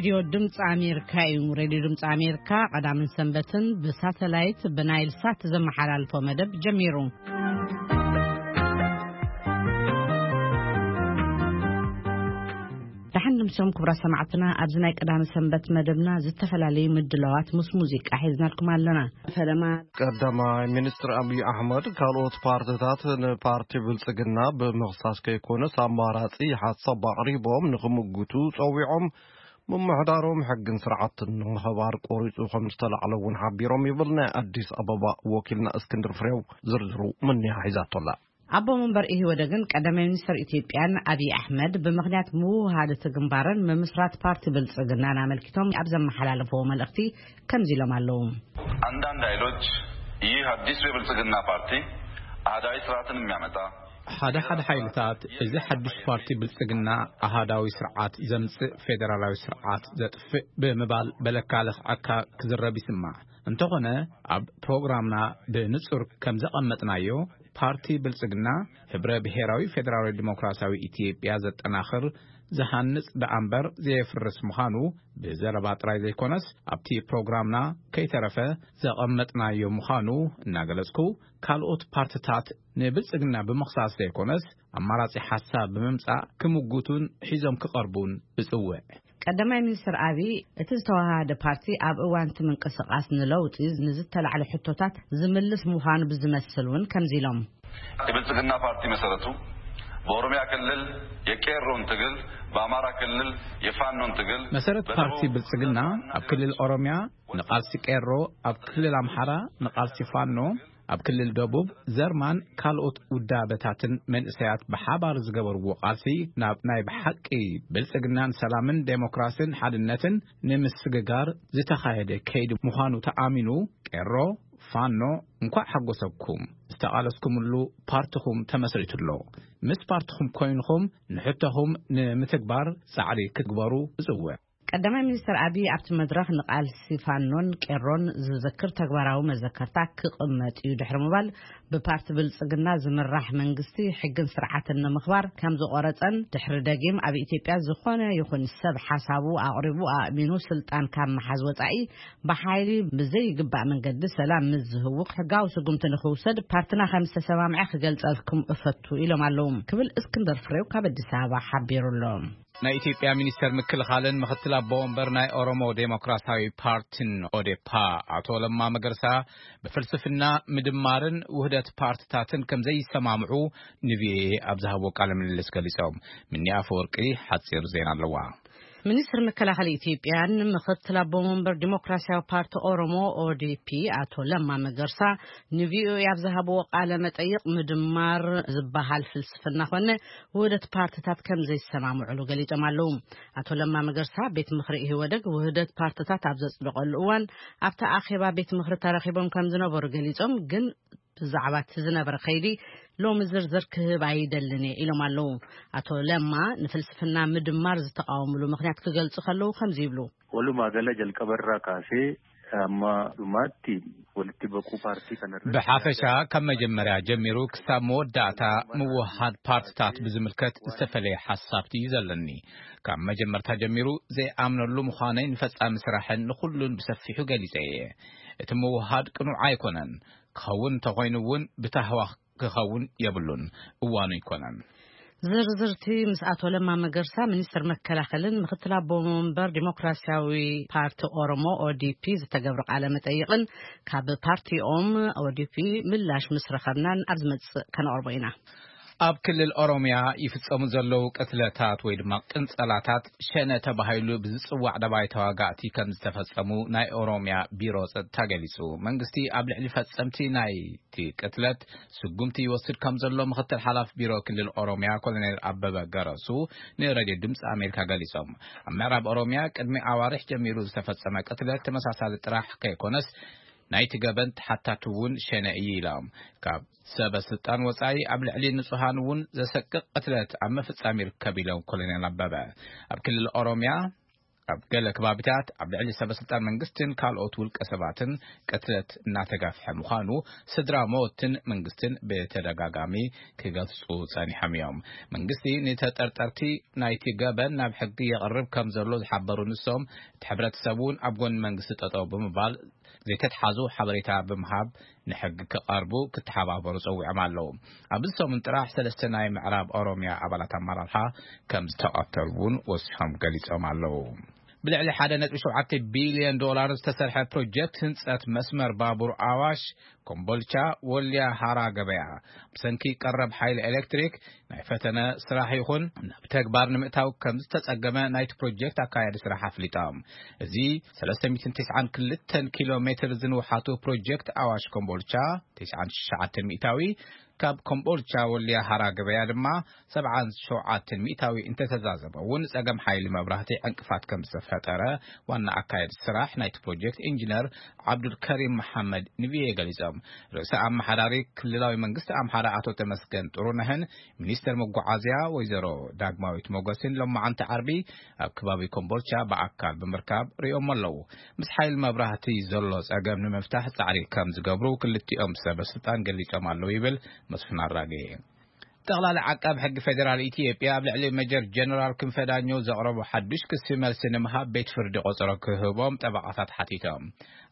ሬድዮ ድምፂ ኣሜሪካ እዩ። ሬድዮ ድምፂ ኣሜሪካ ቀዳምን ሰንበትን ብሳተላይት ብናይል ሳት ዘመሓላልፎ መደብ ጀሚሩ። ደሓን ድምሶም ክቡራት ሰማዕትና፣ ኣብዚ ናይ ቀዳሚ ሰንበት መደብና ዝተፈላለዩ ምድላዋት ምስ ሙዚቃ ሒዝናልኩም ኣለና። ፈለማ ቀዳማይ ሚኒስትር ኣብይ ኣሕመድ ካልኦት ፓርትታት ንፓርቲ ብልጽግና ብምኽሳስ ከይኮነስ ኣማራጺ ሓሳብ ኣቕሪቦም ንኽምጉቱ ጸዊዖም፣ ምምሕዳሮም ሕግን ስርዓትን ንምኽባር ቆሪጹ ከም ዝተላዕለ እውን ሓቢሮም ይብል ናይ ኣዲስ ኣበባ ወኪልና እስክንድር ፍሬው። ዝርዝሩ ምንያ ሒዛቶላ። ኣቦ መንበር ኢህወደግን ቀዳማይ ሚኒስትር ኢትዮጵያን ኣብይ ኣሕመድ ብምኽንያት ምውሃድ እቲ ግንባርን ምምስራት ፓርቲ ብልጽግናን ኣመልኪቶም ኣብ ዘመሓላለፍዎ መልእኽቲ ከምዚ ኢሎም ኣለዉ። አንዳንድ ኃይሎች ይህ አዲሱ የብልጽግና ፓርቲ አህዳዊ ስርዓትን የሚያመጣ ሓደ ሓደ ሓይልታት እዚ ሓድሽ ፓርቲ ብልጽግና ኣሃዳዊ ስርዓት ዘምጽእ ፌደራላዊ ስርዓት ዘጥፍእ ብምባል በለካ ለኽዐካ ክዝረብ ይስማዕ። እንተኾነ ኣብ ፕሮግራምና ብንጹር ከም ዘቐመጥናዮ ፓርቲ ብልጽግና ህብረ ብሔራዊ ፌደራላዊ ዲሞክራሲያዊ ኢትዮጵያ ዘጠናኽር ዝሃንጽ ደኣምበር ዘየፍርስ ምዃኑ ብዘረባ ጥራይ ዘይኮነስ ኣብቲ ፕሮግራምና ከይተረፈ ዘቐመጥናዮ ምዃኑ እናገለጽኩ ካልኦት ፓርትታት ንብልጽግና ብምኽሳስ ዘይኮነስ ኣማራጺ ሓሳብ ብምምጻእ ክምጉቱን ሒዞም ክቐርቡን እጽውዕ። ቀዳማይ ሚኒስትር ኣብይ እቲ ዝተዋሃደ ፓርቲ ኣብ እዋን እቲ ምንቅስቃስ ንለውጢ ንዝተላዕለ ሕቶታት ዝምልስ ምዃኑ ብዝመስል እውን ከምዚ ኢሎም። የብልጽግና ፓርቲ መሰረቱ በኦሮሚያ ክልል የቄሮን ትግል፣ በአማራ ክልል የፋኖን ትግል፣ መሰረት ፓርቲ ብልጽግና ኣብ ክልል ኦሮሚያ ንቃልሲ ቄሮ፣ ኣብ ክልል ኣምሓራ ንቃልሲ ፋኖ፣ ኣብ ክልል ደቡብ ዘርማን ካልኦት ውዳበታትን መንእሰያት ብሓባር ዝገበርዎ ቃልሲ ናብ ናይ ብሓቂ ብልጽግናን ሰላምን ዴሞክራስን ሓድነትን ንምስግጋር ዝተኻየደ ከይዲ ምዃኑ ተኣሚኑ፣ ቄሮ፣ ፋኖ፣ እንኳዕ ሓጎሰኩም። ዝተቓለስኩምሉ ፓርትኹም ተመስሪቱ ኣሎ። ምስ ፓርትኹም ኮይንኹም ንሕቶኹም ንምትግባር ጻዕሪ ክትግበሩ እጽውዕ። ቀዳማይ ሚኒስትር ኣብይ ኣብቲ መድረኽ ንቃልሲ ፋኖን ቄሮን ዝዝክር ተግባራዊ መዘከርታ ክቕመጥ እዩ ድሕሪ ምባል፣ ብፓርቲ ብልጽግና ዝምራሕ መንግስቲ ሕግን ስርዓትን ንምኽባር ከም ዝቆረጸን ድሕሪ ደጊም ኣብ ኢትዮጵያ ዝኾነ ይኹን ሰብ ሓሳቡ ኣቕሪቡ ኣእሚኑ ስልጣን ካብ ምሓዝ ወጻኢ ብሓይሊ ብዘይግባእ መንገዲ ሰላም ምስ ዝህውኽ ሕጋዊ ስጉምቲ ንኽውሰድ ፓርትና ከም ዝተሰማምዐ ክገልጸልኩም እፈቱ ኢሎም ኣለዉ ክብል እስክንድር ፍሬው ካብ ኣዲስ ኣበባ ሓቢሩ ኣሎ። ናይ ኢትዮጵያ ሚኒስተር ምክልኻልን ምኽትል ኣቦ ወንበር ናይ ኦሮሞ ዴሞክራሲያዊ ፓርቲን ኦዴፓ ኣቶ ለማ መገርሳ ብፍልስፍና ምድማርን ውህደት ፓርትታትን ከም ዘይሰማምዑ ንቪኦኤ ኣብ ዝሃብዎ ቃለ ምልልስ ገሊጾም። ምኒ ኣፈወርቂ ሓጺር ዜና ኣለዋ። ሚኒስትር መከላኸሊ ኢትዮጵያን ምኽትል ኣቦ መንበር ዲሞክራሲያዊ ፓርቲ ኦሮሞ ኦዲፒ ኣቶ ለማ መገርሳ ንቪኦኤ ኣብ ዝሃብዎ ቃለ መጠይቕ ምድማር ዝበሃል ፍልስፍና ኮነ ውህደት ፓርትታት ከም ዘይሰማምዑሉ ገሊጾም ኣለዉ። ኣቶ ለማ መገርሳ ቤት ምኽሪ ኢህወደግ ውህደት ፓርትታት ኣብ ዘጽደቐሉ እዋን ኣብቲ ኣኼባ ቤት ምኽሪ ተረኺቦም ከም ዝነበሩ ገሊጾም ግን ብዛዕባ እቲ ዝነበረ ከይዲ ሎሚ ዝርዝር ክህብ ኣይደልን እየ ኢሎም ኣለዉ። ኣቶ ለማ ንፍልስፍና ምድማር ዝተቃወምሉ ምኽንያት ክገልጹ ከለዉ ከምዚ ይብሉ። Walumaa gala jalqabarraa kaasee amma dhumaatti walitti baquu paartii kanarratti ብሓፈሻ ካብ መጀመርያ ጀሚሩ ክሳብ መወዳእታ ምውሃድ ፓርትታት ብዝምልከት ዝተፈለየ ሓሳብቲ እዩ ዘለኒ። ካብ መጀመርታ ጀሚሩ ዘይኣምነሉ ምዃነይ ንፈጻሚ ስራሕን ንኹሉን ብሰፊሑ ገሊጸ እየ። እቲ ምውሃድ ቅኑዕ ኣይኮነን። ክኸውን እንተኾይኑ እውን ብታህዋ ክኸውን የብሉን። እዋኑ ኣይኮነን። ዝርዝርቲ ምስ ኣቶ ለማ መገርሳ ሚኒስትር መከላኸልን ምኽትል ኣቦ መንበር ዲሞክራሲያዊ ፓርቲ ኦሮሞ ኦዲፒ ዝተገብሩ ቃለ መጠይቕን ካብ ፓርቲኦም ኦዲፒ ምላሽ ምስ ረኸብናን ኣብ ዝመጽእ ከነቕርቦ ኢና። ኣብ ክልል ኦሮሚያ ይፍጸሙ ዘለዉ ቅትለታት ወይ ድማ ቅንጸላታት ሸነ ተባሂሉ ብዝጽዋዕ ደባይ ተዋጋእቲ ከም ዝተፈጸሙ ናይ ኦሮሚያ ቢሮ ጸጥታ ገሊጹ። መንግስቲ ኣብ ልዕሊ ፈጸምቲ ናይቲ ቅትለት ስጉምቲ ይወስድ ከም ዘሎ ምኽትል ሓላፊ ቢሮ ክልል ኦሮሚያ ኮሎኔል ኣበበ ገረሱ ንሬድዮ ድምፂ ኣሜሪካ ገሊጾም። ኣብ ምዕራብ ኦሮሚያ ቅድሚ ኣዋርሕ ጀሚሩ ዝተፈጸመ ቅትለት ተመሳሳሊ ጥራሕ ከይኮነስ ናይቲ ገበን ተሓታቲ እውን ሸነ እዩ ኢሎም። ካብ ሰበ ስልጣን ወጻኢ ኣብ ልዕሊ ንጹሃን እውን ዘሰቅቕ ቅትለት ኣብ ምፍጻም ይርከብ ኢሎም ኮሎኔል ኣበበ። ኣብ ክልል ኦሮሚያ ኣብ ገለ ከባቢታት ኣብ ልዕሊ ሰበስልጣን መንግስትን ካልኦት ውልቀ ሰባትን ቅትለት እናተጋፍሐ ምዃኑ ስድራ ሞትን መንግስትን ብተደጋጋሚ ክገልጹ ጸኒሖም እዮም። መንግስቲ ንተጠርጠርቲ ናይቲ ገበን ናብ ሕጊ የቕርብ ከም ዘሎ ዝሓበሩ ንሶም፣ እቲ ሕብረተሰብ እውን ኣብ ጎኒ መንግስቲ ጠጠው ብምባል ዘይተትሓዙ ሓበሬታ ብምሃብ ንሕጊ ክቐርቡ ክተሓባበሩ ጸዊዖም ኣለዉ። ኣብዚ ሰሙን ጥራሕ ሰለስተ ናይ ምዕራብ ኦሮሚያ ኣባላት ኣመራርሓ ከም ዝተቐተሉ እውን ወሲኾም ገሊጾም ኣለዉ። ብልዕሊ ሓደ ነጥቢ ሸውዓተ ቢልዮን ዶላር ዝተሰርሐ ፕሮጀክት ህንጸት መስመር ባቡር ኣዋሽ ኮምቦልቻ ወልያ ሃራ ገበያ ብሰንኪ ቀረብ ሓይሊ ኤሌክትሪክ ናይ ፈተነ ስራሕ ይኹን ናብ ተግባር ንምእታው ከም ዝተጸገመ ናይቲ ፕሮጀክት ኣካያዲ ስራሕ ኣፍሊጦም። እዚ ሰለስተ ሚእትን ትስዓን ክልተን ኪሎ ሜትር ዝንውሓቱ ፕሮጀክት ኣዋሽ ኮምቦልቻ ትስዓን ትሽዓተን ሚእታዊ፣ ካብ ኮምቦልቻ ወልያ ሃራ ገበያ ድማ ሰብዓን ሸውዓተን ሚእታዊ እንተተዛዘመ እውን ጸገም ሓይሊ መብራህቲ ዕንቅፋት ከም ዝተፈጠረ ዋና ኣካያዲ ስራሕ ናይቲ ፕሮጀክት ኢንጂነር ዓብዱልከሪም መሓመድ ንቪኤ ገሊጾም። ርእሰ ኣመሓዳሪ ክልላዊ መንግስቲ ኣምሓራ ኣቶ ተመስገን ጥሩነህን ሚኒስተር መጓዓዝያ ወይዘሮ ዳግማዊት ሞገስን ሎማዓንቲ ዓርቢ ኣብ ከባቢ ኮምቦልቻ ብኣካል ብምርካብ ሪኦሞ ኣለዉ። ምስ ሓይሊ መብራህቲ ዘሎ ጸገም ንምፍታሕ ጻዕሪ ከም ዝገብሩ ክልቲኦም ሰበ ስልጣን ገሊጾም ኣለዉ ይብል መስፍን ኣራጌ። ጠቕላሊ ዓቃብ ሕጊ ፌዴራል ኢትዮጵያ ኣብ ልዕሊ ሜጀር ጀነራል ክንፈ ዳኘው ዘቕረቦ ሓዱሽ ክሲ መልሲ ንምሃብ ቤት ፍርዲ ቆጸሮ ክህቦም ጠበቓታት ሓቲቶም።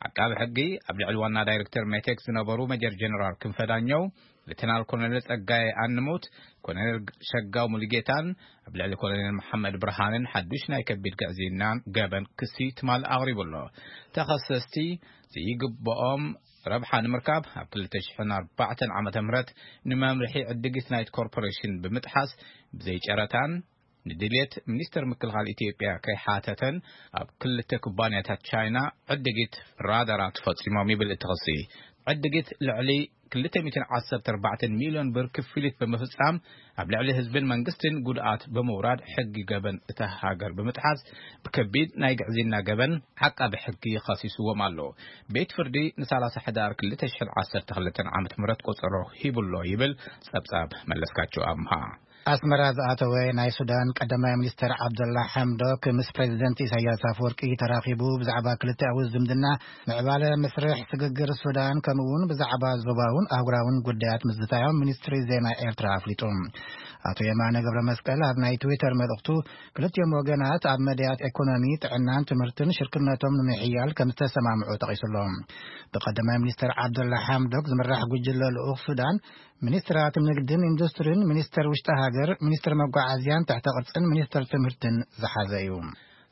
ዓቃቢ ሕጊ ኣብ ልዕሊ ዋና ዳይሬክተር ሜቴክ ዝነበሩ ሜጀር ጀነራል ክንፈ ዳኘው፣ ሌተናል ኮሎኔል ጸጋዬ ኣንሙት፣ ኮሎኔል ሸጋው ሙሉጌታን ኣብ ልዕሊ ኮሎኔል መሓመድ ብርሃንን ሓዱሽ ናይ ከቢድ ግዕዝይናን ገበን ክሲ ትማል ኣቕሪቡ ኣሎ። ተኸሰስቲ ዘይግብኦም ረብሓ ንምርካብ ኣብ ክልተ ሽሕን ኣርባዕተን ዓመተ ምህረት ንመምርሒ ዕድጊት ናይት ኮርፖሬሽን ብምጥሓስ ብዘይ ጨረታን ንድልየት ሚኒስተር ምክልኻል ኢትዮጵያ ከይሓተተን ኣብ ክልተ ኩባንያታት ቻይና ዕድጊት ራዳራት ፈጺሞም ይብል እቲ ክሲ። ዕድጊት ልዕሊ ክልተ ሚእትን ዓሰርተ ኣርባዕተን ሚልዮን ብር ክፍሊት ብምፍጻም ኣብ ልዕሊ ህዝብን መንግስትን ጉድኣት ብምውራድ ሕጊ ገበን እታ ሃገር ብምጥሓስ ብከቢድ ናይ ግዕዝይና ገበን ዓቃቢ ሕጊ ከሲስዎም ኣሎ። ቤት ፍርዲ ንሰላሳ ሕዳር ክልተ ሽሕን ዓሰርተ ክልተን ዓመተ ምህረት ቆጸሮ ሂቡሎ ይብል ጸብጻብ መለስካቸው ኣምሃ። ኣስመራ ዝኣተወ ናይ ሱዳን ቀዳማይ ሚኒስተር ዓብደላ ሓምዶክ ምስ ፕሬዚደንት ኢሳያስ ኣፈወርቂ ተራኺቡ ብዛዕባ ክልቲኣዊ ዝምድና፣ ምዕባለ መስርሕ ስግግር ሱዳን፣ ከምኡ'ውን ብዛዕባ ዞባውን ኣህጉራውን ጉዳያት ምዝታዮም ሚኒስትሪ ዜና ኤርትራ ኣፍሊጡ። ኣቶ የማነ ገብረ መስቀል ኣብ ናይ ትዊተር መልእኽቱ፣ ክልቲኦም ወገናት ኣብ መዳያት ኤኮኖሚ፣ ጥዕናን ትምህርትን ሽርክነቶም ንምሕያል ከም ዝተሰማምዑ ጠቒሱሎ። ብቀዳማይ ሚኒስተር ዓብደላ ሓምዶክ ዝምራሕ ጉጅለ ልኡኽ ሱዳን፣ ሚኒስትራት ንግድን ኢንዱስትሪን፣ ሚኒስተር ውሽጢ ሃገር፣ ሚኒስተር መጓዓዝያን ትሕተ ቅርጽን ሚኒስተር ትምህርትን ዝሓዘ እዩ።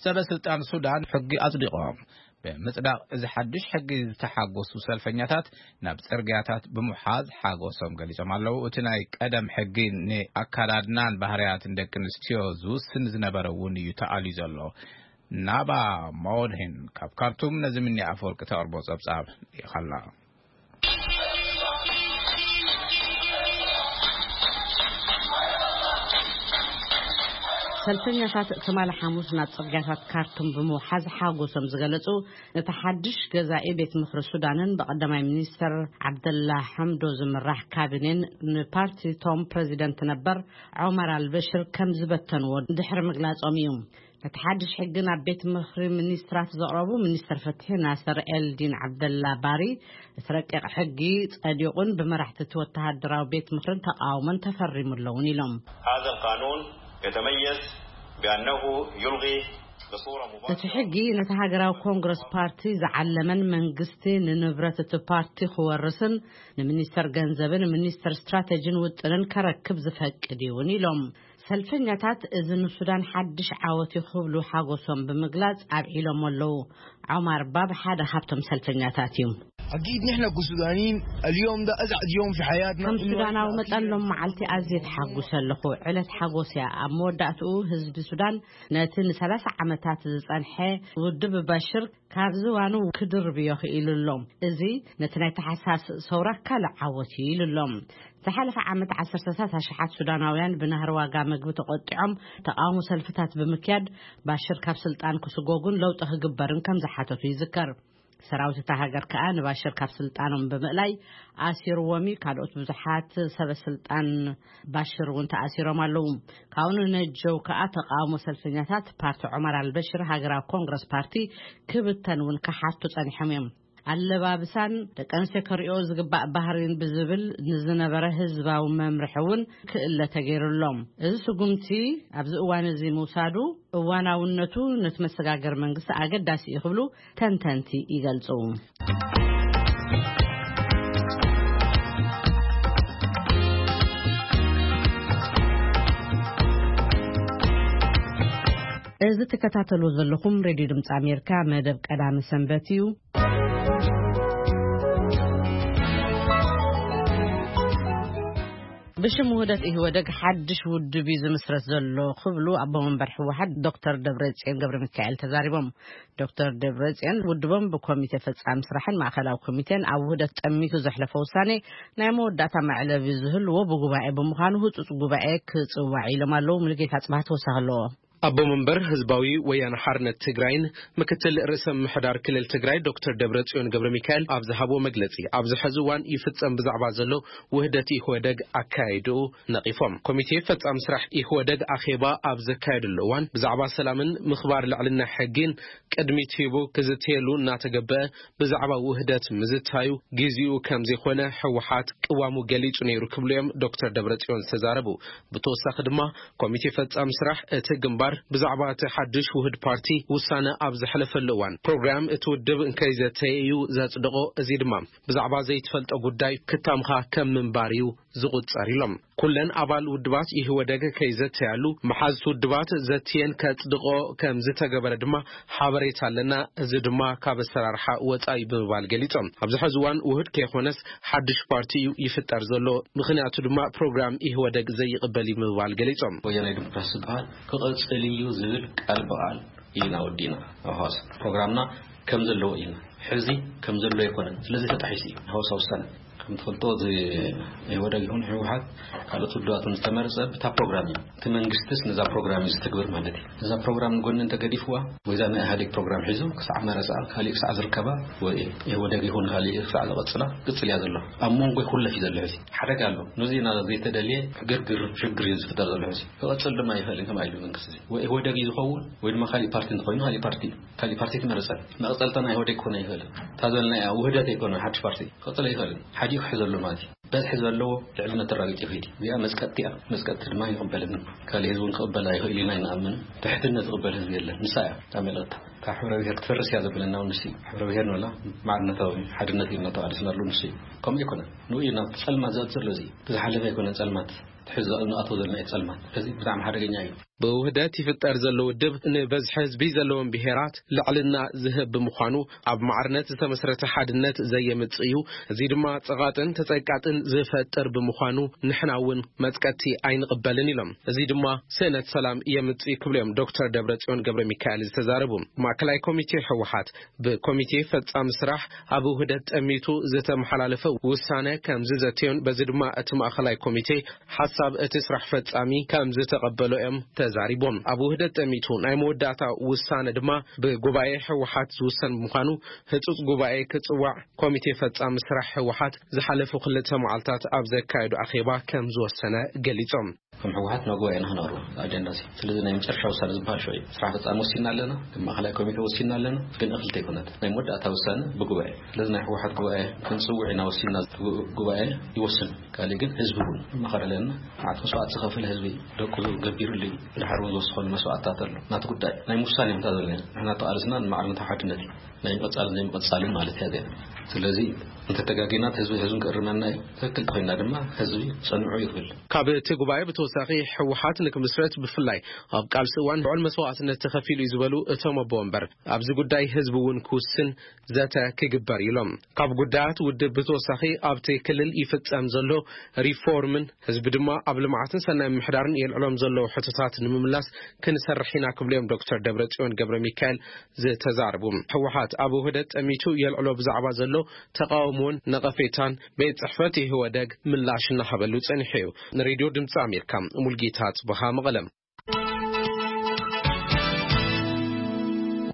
ሰበ ስልጣን ሱዳን ሕጊ ኣጽዲቖም። ብምጽዳቕ እዚ ሓድሽ ሕጊ ዝተሓጎሱ ሰልፈኛታት ናብ ጽርግያታት ብምሓዝ ሓጎሶም ገሊጾም ኣለዉ። እቲ ናይ ቀደም ሕጊ ንኣካዳድናን ባህርያትን ደቂ ኣንስትዮ ዝውስን ዝነበረ እውን እዩ ተኣልዩ ዘሎ። ናባ ማወድሂን ካብ ካርቱም ነዚ ምኒ ኣፈወርቂ ተቕርቦ ጸብጻብ ልኢኻላ። ሰልፈኛታት ትማሊ ሓሙስ ናብ ጽርግያታት ካርቱም ብምውሓዝ ሓጎሶም ዝገለጹ፣ ነቲ ሓድሽ ገዛኢ ቤት ምኽሪ ሱዳንን ብቐዳማይ ሚኒስተር ዓብደላ ሓምዶ ዝምራሕ ካቢኔን ንፓርቲ ቶም ፕረዚደንት ነበር ዖመር ኣልበሽር ከም ዝበተንዎ ድሕሪ ምግላጾም እዩ። ነቲ ሓድሽ ሕጊ ናብ ቤት ምኽሪ ሚኒስትራት ዘቕረቡ ሚኒስትር ፍትሒ ናስር ኤልዲን ዓብደላ ባሪ፣ እቲ ረቂቕ ሕጊ ጸዲቑን ብመራሕቲ እቲ ወተሃደራዊ ቤት ምኽርን ተቓውሞን ተፈሪሙ ኣለውን ኢሎም። هذا القانون يتميز بأنه يلغي بصورة እቲ مباشرة ሕጊ ነቲ ሃገራዊ ኮንግረስ ፓርቲ ዝዓለመን መንግስቲ ንንብረት እቲ ፓርቲ ክወርስን ንሚኒስተር ገንዘብን ሚኒስተር ስትራተጂን ውጥንን ከረክብ ዝፈቅድ እዩውን ኢሎም። ሰልፈኛታት እዚ ንሱዳን ሓድሽ ዓወት እዩ ክብሉ ሓጎሶም ብምግላጽ ኣብዒሎም ኣለዉ። ዖማር ባብ ሓደ ካብቶም ሰልፈኛታት እዩ። أكيد نحن كسودانيين اليوم ده أسعد يوم في حياتنا. ከም ሱዳናዊ መጠን ሎም መዓልቲ ኣዝየ ተሓጉሰ ኣለኹ። ዕለት ሓጎስ እያ። ኣብ መወዳእትኡ ህዝቢ ሱዳን ነቲ ንሰላሳ ዓመታት ዝጸንሐ ውድብ ባሽር ካብ ዝባኑ ክድርብዮ ክኢሉ ኣሎ። እዚ ነቲ ናይ ተሓሳስ ሰውራ ካልእ ዓወት እዩ ኢሉ ኣሎ። ዝሓለፈ ዓመት ዓሰርተታት ኣሽሓት ሱዳናውያን ብናህሪ ዋጋ ምግቢ ተቖጢዖም ተቓውሞ ሰልፍታት ብምክያድ ባሽር ካብ ስልጣን ክስጎጉን ለውጢ ክግበርን ከም ዝሓተቱ ይዝከር። ሰራዊት እታ ሃገር ከኣ ንባሽር ካብ ስልጣኖም ብምእላይ ኣሲርዎም እዩ። ካልኦት ብዙሓት ሰበ ስልጣን ባሽር እውን ተኣሲሮም ኣለዉ። ካብኡ ንነጀው ከኣ ተቃውሞ ሰልፈኛታት ፓርቲ ዑመር ኣልበሽር ሃገራዊ ኮንግረስ ፓርቲ ክብተን እውን ክሓቱ ጸኒሖም እዮም። ኣለባብሳን ደቂ ኣንስትዮ ከርእዮ ዝግባእ ባህሪን ብዝብል ንዝነበረ ህዝባዊ መምርሒ እውን ክእለ ተገይሩሎም። እዚ ስጉምቲ ኣብዚ እዋን እዚ ምውሳዱ እዋናውነቱ ነቲ መሰጋገር መንግስቲ ኣገዳሲ እዩ ክብሉ ተንተንቲ ይገልጹ። እዚ ትከታተሉ ዘለኹም ሬድዮ ድምፂ ኣሜሪካ መደብ ቀዳሚ ሰንበት እዩ። ብሽም ውህደት ኢህወደግ ሓድሽ ውድብ እዩ ዝምስረት ዘሎ ክብሉ ኣቦ መንበር ህወሓት ዶክተር ደብረጽዮን ገብረ ሚካኤል ተዛሪቦም። ዶክተር ደብረጽዮን ውድቦም ብኮሚቴ ፈጻሚ ስራሕን ማእከላዊ ኮሚቴን ኣብ ውህደት ጠሚቱ ዘሕለፈ ውሳኔ ናይ መወዳእታ መዕለቢ ዝህልዎ ብጉባኤ ብምዃኑ ህጹጽ ጉባኤ ክጽዋዕ ኢሎም ኣለዉ። ሙሉጌታ ጽባህ ተወሳኺ ኣለዎ። ኣቦ መንበር ህዝባዊ ወያነ ሓርነት ትግራይን ምክትል ርእሰ ምምሕዳር ክልል ትግራይ ዶክተር ደብረጽዮን ገብረ ሚካኤል ኣብ ዝሃብዎ መግለጺ፣ ኣብዚ ሕዚ እዋን ይፍጸም ብዛዕባ ዘሎ ውህደት ኢህወደግ ኣካያይድኡ ነቒፎም። ኮሚቴ ፈጻሚ ስራሕ ኢህወደግ ኣኼባ ኣብ ዘካየደሉ እዋን ብዛዕባ ሰላምን ምኽባር ልዕልና ሕጊን ቅድሚት ሂቡ ክዝተየሉ እናተገበአ ብዛዕባ ውህደት ምዝታዩ ግዜኡ ከም ዘይኮነ ህወሓት ቅዋሙ ገሊጹ ነይሩ ክብሉ እዮም ዶክተር ደብረጽዮን ዝተዛረቡ። ብተወሳኺ ድማ ኮሚቴ ፈጻሚ ስራሕ እቲ ግንባር ብዛዕባ እቲ ሓድሽ ውህድ ፓርቲ ውሳነ ኣብ ዘሕለፈሉ እዋን ፕሮግራም እቲ ውድብ እንከይዘተየ እዩ ዘጽድቖ። እዚ ድማ ብዛዕባ ዘይትፈልጦ ጉዳይ ክታምኻ ከም ምንባር እዩ ዝቑጸር ኢሎም። ኩለን ኣባል ውድባት ኢህወደግ ከይዘተያሉ መሓዝቲ ውድባት ዘትየን ከጽድቖ ከም ዝተገበረ ድማ ሓበሬታ ኣለና። እዚ ድማ ካብ ኣሰራርሓ ወጻኢ ብምባል ገሊጾም። ኣብዚ ሕዚ እዋን ውህድ ከይኾነስ ሓድሽ ፓርቲ እዩ ይፍጠር ዘሎ። ምኽንያቱ ድማ ፕሮግራም ኢህወደግ ዘይቕበል እዩ ብምባል ገሊጾም። ወያናይ ዲሞክራሲ ዝበሃል ክቐጽል እዩ ዝብል ቃል ብቓል ኢና ወዲእና ኣብ ሃዋሳ። ፕሮግራምና ከም ዘለዎ ኢና። ሕዚ ከም ዘሎ ኣይኮነን። ስለዚ ተጣሒሱ እዩ ሃዋሳ ውሳነ። ከም ትፈልጦ፣ እዚ ኢህወደግ ይኹን ህወሓት ካልኦት ውድባት ዝተመረጸ ብታ ፕሮግራም እዩ። እቲ መንግስትስ ነዛ ፕሮግራም እዩ ዝትግብር ማለት እዩ። ነዛ ፕሮግራም ንጎኒ እንተገዲፍዋ፣ ወይ እዛ ናይ ኢህኣዴግ ፕሮግራም ሒዙ ክሳዕ መረጻ፣ ካሊእ ክሳዕ ዝርከባ፣ ወይ ኢህወደግ ይኹን ካሊእ ክሳዕ ዝቐጽላ፣ ቅጽል እያ ዘሎ። ኣብ መንጎ ይኹለፍ እዩ ዘሎ ሕዚ። ሓደጋ ኣሎ። ነዚ ኢና ዘይተደልየ ግርግር፣ ሽግር እዩ ዝፍጠር ዘሎ ሕዚ። ክቐጽል ድማ ይኽእል እዩ፣ ከምኣ ኢሉ መንግስቲ እዚ። ወይ ኢህወደግ እዩ ዝኸውን፣ ወይ ድማ ካሊእ ፓርቲ እንተኾይኑ፣ ካሊእ ፓርቲ እዩ። ካሊእ ፓርቲ ትመረጸ። መቐጸልታ ናይ ኢህወደግ ክኾን ኣይኽእልን። እታ ዘለና እያ ውህደት ኣይኮነን፣ ሓድሽ ፓርቲ ክቐጽል ኣይኽእልን። ሓዲኡ ክሕዘሉ ማለት እዩ። በዝሒ ዘለዎ ልዕልነት ተራጊጡ ይኸይድ እዩ። እዚኣ መጽቀጥቲ እያ። መጽቀጥቲ ድማ ይቕበልን። ካልእ ህዝቢ እውን ክቕበላ ይኽእል ኢና ይንኣምን። ትሕትነት ዝቕበል ህዝቢ የለን። ንሳ እያ እታ መልእኽታ። እታ ሕብረ ብሔር ክትፈርስ እያ ዘብለና እውን ንሱ እዩ። ሕብረ ብሔር ንበላ ማዕርነታዊ ሓድነት እዩ እናተባልስና ኣሎ ንሱ እዩ። ከምኡ ኣይኮነን። ንኡ እዩ ናብቲ ጸልማት ዘእቱ ዘሎ እዚ። እቲ ዝሓለፈ ኣይኮነን ጸልማት። እቲ ሕዚ ንኣትዎ ዘለና እዩ ጸልማት። ስለዚ ብጣዕሚ ሓደገኛ እዩ። ብውህደት ይፍጠር ዘሎ ውድብ ንበዝሒ ህዝቢ ዘለዎም ብሄራት ልዕልና ዝህብ ብምዃኑ ኣብ ማዕርነት ዝተመስረተ ሓድነት ዘየምጽእ እዩ። እዚ ድማ ጸቓጥን ተጸቃጥን ዝፈጥር ብምዃኑ ንሕና እውን መጽቀቲ ኣይንቕበልን ኢሎም። እዚ ድማ ስእነት ሰላም የምጽእ ክብሉ እዮም ዶክተር ደብረጽዮን ገብረ ሚካኤል ዝተዛረቡ። ማእከላይ ኮሚቴ ህወሓት ብኮሚቴ ፈጻሚ ስራሕ ኣብ ውህደት ጠሚቱ ዝተመሓላለፈ ውሳነ ከም ዝዘተዮን በዚ ድማ እቲ ማእከላይ ኮሚቴ ሓሳብ እቲ ስራሕ ፈጻሚ ከም ዝተቐበሎ እዮም ተዛሪቦም። ኣብ ውህደት ጠሚቱ ናይ መወዳእታ ውሳነ ድማ ብጉባኤ ህወሓት ዝውሰን ብምዃኑ ህጹጽ ጉባኤ ክጽዋዕ ኮሚቴ ፈጻሚ ስራሕ ህወሓት ዝሓለፉ ክልተ መዓልታት ኣብ ዘካየዱ ኣኼባ ከም ዝወሰነ ገሊጾም። ከም ህወሓት ናብ ጉባኤ ኢና ክነቕርቦ ኣጀንዳ እዚ። ስለዚ ናይ መጨረሻ ውሳነ ዝበሃል ሽዑ እዩ። ስራሕ ፈጻሚ ወሲና ኣለና፣ ከም ማእከላይ ኮሚቴ ወሲና ኣለና፣ ግን እኽልቲ ኣይኮነት። ናይ መወዳእታ ውሳነ ብጉባኤ። ስለዚ ናይ ህወሓት ጉባኤ ክንጽውዕ ኢና ወሲና፣ ጉባኤ ይወስን። ካልእ ግን ህዝቢ እውን መኸረ ኣለና። መዓት መስዋዕት ዝኸፈለ ህዝቢ ደቁ ገቢሩሉ እዩ። ድሓር እውን ዝወሰኸሉ መስዋዕትታት ኣሎ። ናቲ ጉዳይ ናይ ምውሳን እዮም እታ ዘለና። ንሕና ተቓልስና ንማዕርነት ሓድነት እዩ። ናይ ምቕጻልን ዘይምቕጻልን ማለት እያ እዚኣ። ስለዚ እንተተጋጊና ህዝቢ ህዝብን ክእርመና እዩ። ትክክል ተኮይና ድማ ህዝቢ ጸንዑ ይብል። ካብ እቲ ጉባኤ ብተወሳኺ ህወሓት ንክምስረት ብፍላይ ኣብ ቃልሲ እዋን ልዑል መስዋዕትነት ተኸፊሉ እዩ ዝበሉ እቶም ኣቦ ወንበር፣ ኣብዚ ጉዳይ ህዝቢ እውን ክውስን ዘተ ክግበር እዩ ኢሎም። ካብ ጉዳያት ውድብ ብተወሳኺ ኣብቲ ክልል ይፍጸም ዘሎ ሪፎርምን ህዝቢ ድማ ኣብ ልምዓትን ሰናይ ምምሕዳርን የልዕሎም ዘለዉ ሕቶታት ንምምላስ ክንሰርሕ ኢና ክብሉ እዮም ዶክተር ደብረጽዮን ገብረ ሚካኤል ዝተዛረቡ። ህወሓት ኣብ ውህደት ጠሚቱ የልዕሎ ብዛዕባ ዘሎ ተቃውሞን ነቐፌታን ቤት ጽሕፈት ኢህወደግ ምላሽ እናሃበሉ ጸኒሑ እዩ። ንሬድዮ ድምፂ ኣሜሪካ ሙልጌታ ጽበሃ መቐለም።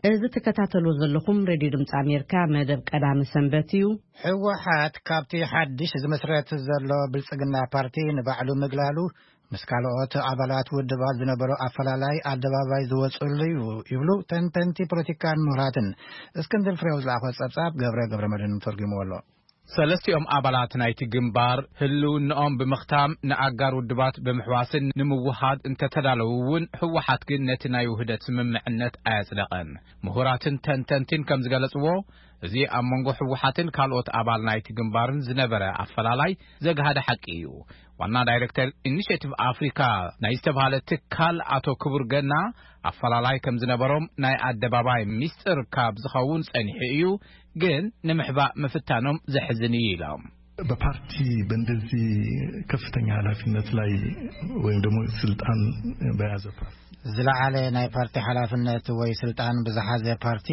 እዚ ትከታተሉ ዘለኹም ሬድዮ ድምፂ ኣሜሪካ መደብ ቀዳሚ ሰንበት እዩ። ህወሓት ካብቲ ሓድሽ ዝመስረት ዘሎ ብልጽግና ፓርቲ ንባዕሉ ምግላሉ፣ ምስ ካልኦት ኣባላት ውድባት ዝነበሮ ኣፈላላይ ኣደባባይ ዝወፅሉ እዩ ይብሉ ተንተንቲ ፖለቲካን ምሁራትን። እስክንድር ፍሬው ዝለኣኾ ጸብጻብ ገብረ ገብረ መድህን ተርጉምዎ ኣሎ። ሰለስቲኦም ኣባላት ናይቲ ግንባር ህልውንኦም ብምኽታም ንኣጋር ውድባት ብምሕዋስን ንምውሃድ እንተተዳለዉ እውን፣ ህወሓት ግን ነቲ ናይ ውህደት ስምምዕነት ኣየጽደቐን። ምሁራትን ተንተንቲን ከም ዝገለጽዎ፣ እዚ ኣብ መንጎ ህወሓትን ካልኦት ኣባል ናይቲ ግንባርን ዝነበረ ኣፈላላይ ዘግሃደ ሓቂ እዩ። ዋና ዳይሬክተር ኢኒሼቲቭ ኣፍሪካ ናይ ዝተባሃለ ትካል ኣቶ ክቡር ገና፣ ኣፈላላይ ከም ዝነበሮም ናይ ኣደባባይ ሚስጥር ካብ ዝኸውን ጸኒሑ እዩ፣ ግን ንምሕባእ ምፍታኖም ዘሕዝን እዩ ኢሎም። በፓርቲ በእንደዚህ ከፍተኛ ኃላፊነት ላይ ወይም ደግሞ ስልጣን በያዘ ፓርቲ ዝለዓለ ናይ ፓርቲ ሓላፍነት ወይ ስልጣን ብዝሓዘ ፓርቲ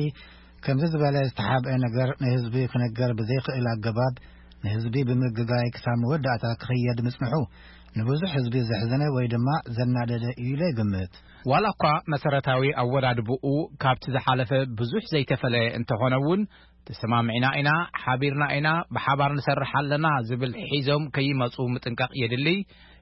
ከምዚ ዝበለ ዝተሓብአ ነገር ንህዝቢ ክነገር ብዘይክእል ኣገባብ ንህዝቢ ብምግጋይ ክሳብ መወዳእታ ክኽየድ ምጽንሑ ንብዙሕ ህዝቢ ዘሕዘነ ወይ ድማ ዘናደደ እዩ ኢለ ይግምት። ዋላ እኳ መሰረታዊ ኣወዳድብኡ ካብቲ ዝሓለፈ ብዙሕ ዘይተፈለየ እንተኾነ እውን፣ ተሰማሚዕና ኢና፣ ሓቢርና ኢና፣ ብሓባር ንሰርሕ ኣለና ዝብል ሒዞም ከይመጹ ምጥንቃቕ የድሊ።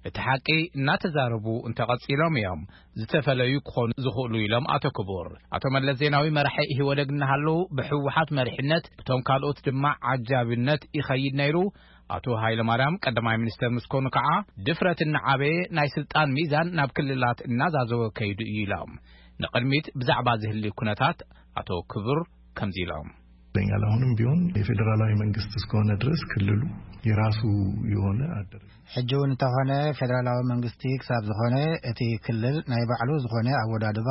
እቲ ሓቂ እናተዛረቡ እንተቐጺሎም እዮም ዝተፈለዩ ክኾኑ ዝኽእሉ ኢሎም ኣቶ ክቡር። ኣቶ መለስ ዜናዊ መራሒ ኢህወደግ እናሃለዉ ብህወሓት መሪሕነት፣ ብቶም ካልኦት ድማ ዓጃቢነት ይኸይድ ነይሩ። ኣቶ ሃይለማርያም ቀዳማይ ሚኒስተር ምስ ኮኑ ከዓ ድፍረት እናዓበየ ናይ ስልጣን ሚዛን ናብ ክልላት እናዛዘወ ከይዱ እዩ ኢሎም። ንቕድሚት ብዛዕባ ዝህሊ ኩነታት ኣቶ ክቡር ከምዚ ኢሎም። ይገኛል። አሁንም ቢሆን የፌዴራላዊ መንግስት እስከሆነ ድረስ ክልሉ የራሱ የሆነ አደረጃጀት ሕጂ እውን እንተኾነ ፌደራላዊ መንግስቲ ክሳብ ዝኾነ እቲ ክልል ናይ ባዕሉ ዝኾነ ኣወዳድባ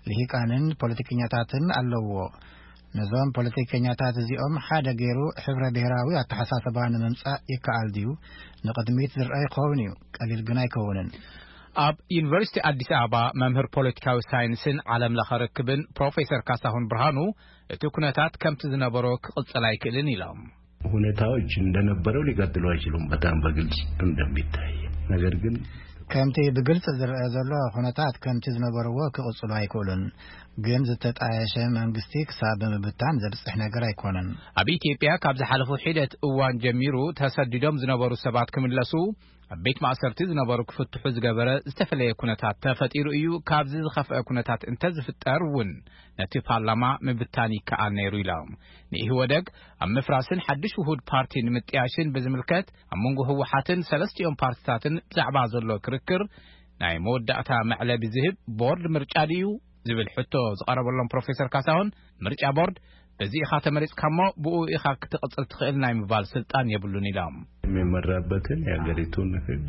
ልሂቃንን ፖለቲከኛታትን ኣለዎ። ነዞም ፖለቲከኛታት እዚኦም ሓደ ገይሩ ሕብረ ብሔራዊ ኣተሓሳስባ ንምምጻእ ይከኣል ድዩ? ንቕድሚት ዝረአ ይኸውን እዩ፣ ቀሊል ግን ኣይከውንን። ኣብ ዩኒቨርሲቲ ኣዲስ ኣበባ መምህር ፖለቲካዊ ሳይንስን ዓለም ለኸ ርክብን ፕሮፌሰር ካሳሁን ብርሃኑ፣ እቲ ኩነታት ከምቲ ዝነበሮ ክቕጽል ኣይክእልን ኢሎም። ሁኔታዎች እንደነበረው ሊቀጥሉ አይችሉም፣ በጣም በግልጽ እንደሚታይ። ነገር ግን ከምቲ ብግልጽ ዝረአ ዘሎ ኩነታት ከምቲ ዝነበርዎ ክቕጽሉ ኣይክእሉን። ግን ዝተጣየሸ መንግስቲ ክሳብ ብምብታን ዘብጽሕ ነገር ኣይኮነን። ኣብ ኢትዮጵያ ካብ ዝሓለፉ ሒደት እዋን ጀሚሩ ተሰዲዶም ዝነበሩ ሰባት ክምለሱ፣ ኣብ ቤት ማእሰርቲ ዝነበሩ ክፍትሑ ዝገበረ ዝተፈለየ ኩነታት ተፈጢሩ እዩ። ካብዚ ዝኸፍአ ኩነታት እንተዝፍጠር እውን ነቲ ፓርላማ ምብታን ይከኣል ነይሩ ኢሎም። ንኢህወደግ ኣብ ምፍራስን ሓድሽ ውሁድ ፓርቲ ንምጥያሽን ብዝምልከት ኣብ መንጎ ህወሓትን ሰለስቲኦም ፓርትታትን ብዛዕባ ዘሎ ክርክር ናይ መወዳእታ መዕለቢ ዝህብ ቦርድ ምርጫ ድዩ ዝብል ሕቶ ዝቐረበሎም ፕሮፌሰር ካሳሁን፣ ምርጫ ቦርድ በዚ ኢኻ ተመሪጽካ እሞ ብኡ ኢኻ ክትቕጽል ትኽእል ናይ ምባል ስልጣን የብሉን ኢሎም። የሚመራበትን የሀገሪቱን ሕግ